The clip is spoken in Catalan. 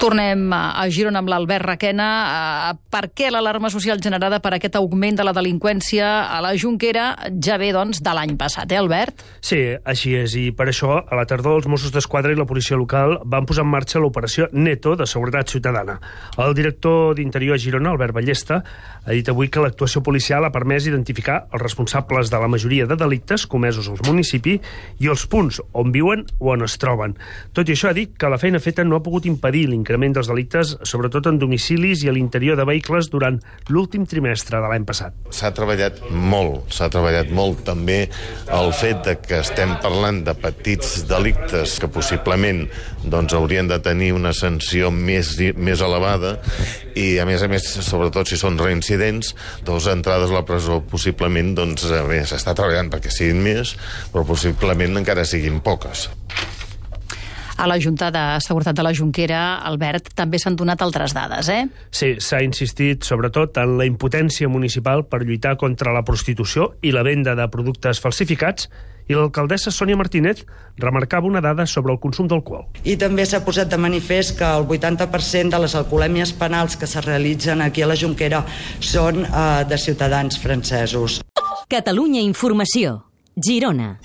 Tornem a Girona amb l'Albert Requena. Per què l'alarma social generada per aquest augment de la delinqüència a la Jonquera ja ve, doncs, de l'any passat, Albert? Sí, així és, i per això, a la tardor, els Mossos d'Esquadra i la policia local van posar en marxa l'operació Neto de Seguretat Ciutadana. El director d'Interior a Girona, Albert Ballesta, ha dit avui que l'actuació policial ha permès identificar els responsables de la majoria de delictes comesos al municipi i els punts on viuen o on es troben. Tot i això, ha dit que la feina feta no ha pogut impedir l'increment dels delictes, sobretot en domicilis i a l'interior de vehicles durant l'últim trimestre de l'any passat. S'ha treballat molt també el fet de que estem parlant de petits delictes que possiblement doncs, haurien de tenir una sanció més elevada i, a més, sobretot si són reincidents, dos entrades a la presó possiblement, doncs, s'està treballant perquè siguin més, però possiblement encara siguin poques. A la Junta de Seguretat de la Jonquera, Albert, també s'han donat altres dades, Sí, s'ha insistit sobretot en la impotència municipal per lluitar contra la prostitució i la venda de productes falsificats, i l'alcaldessa Sònia Martínez remarcava una dada sobre el consum d'alcohol. I també s'ha posat de manifest que el 80% de les alcoholèmies penals que es realitzen aquí a la Jonquera són de ciutadans francesos. Catalunya Informació, Girona.